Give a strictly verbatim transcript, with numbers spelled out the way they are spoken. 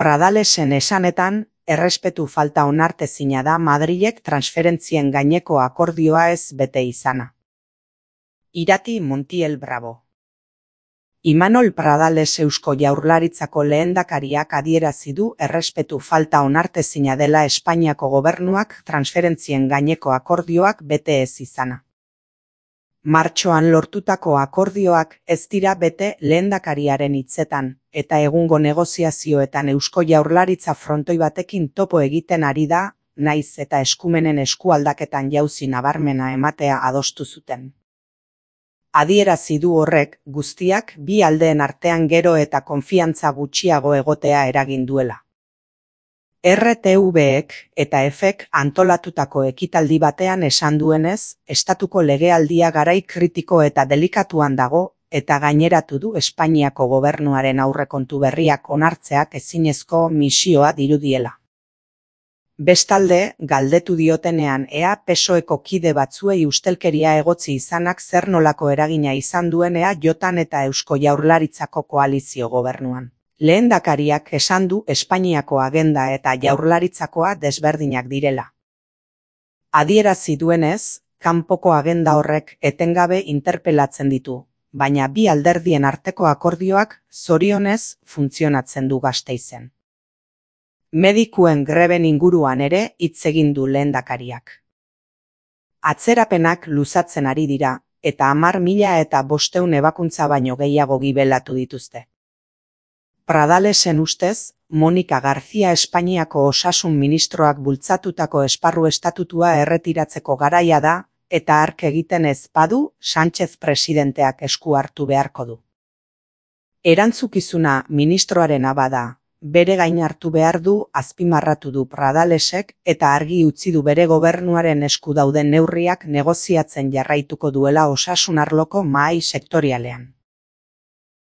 Pradalesen esanetan, errespetu falta onartezina da Madrilek transferentzien gaineko akordioa ez bete izana. Irati Montiel Bravo. Imanol Pradales Eusko Jaurlaritzako lehendakariak adierazi du errespetu falta onartezina dela Espainiako gobernuak transferentzien gaineko akordioak bete ez izana. Martxoan lortutako akordioak ez dira bete lehendakariaren hitzetan, eta egungo negoziazioetan Eusko Jaurlaritza frontoi batekin topo egiten ari da, naiz eta eskumenen eskualdaketan jauzi nabarmena ematea adostu zuten. Adierazi du horrek guztiak bi aldeen artean gero eta konfiantza gutxiago egotea eragin duela. R T V-ek eta Efek antolatutako ekitaldi batean esan duenez, estatuko legealdia garai kritiko eta delikatuan dago, eta gaineratu du Espainiako gobernuaren aurrekontu berriak onartzeak ezinezko misioa dirudiela. Bestalde, galdetu diotenean ea P S O Eko kide batzuei ustelkeria egotzi izanak zer nolako eragina izan duen E A J-an eta Eusko Jaurlaritzako koalizio gobernuan. Lehendakariak esan du Espainiako agenda eta Jaurlaritzakoa desberdinak direla. Adierazi duenez, kanpoko agenda horrek etengabe interpelatzen ditu, baina bi alderdien arteko akordioak zorionez funtzionatzen du Gasteizen. Medikuen greben inguruan ere hitz egin du lehendakariak. Atzerapenak luzatzen ari dira, eta hamar mila eta bostehun ebakuntza baino gehiago gibelatu dituzte. Pradalesen ustez, Monika García Espainiako osasun ministroak bultzatutako esparru estatutua erretiratzeko garaia da, eta hark egiten ez badu, Sánchez presidenteak esku hartu beharko du. Erantzukizuna ministroarena bada, bere gain hartu behar du azpimarratu du Pradalesek eta argi utzi du bere gobernuaren esku dauden neurriak negoziatzen jarraituko duela osasun arloko mahai sektorialean.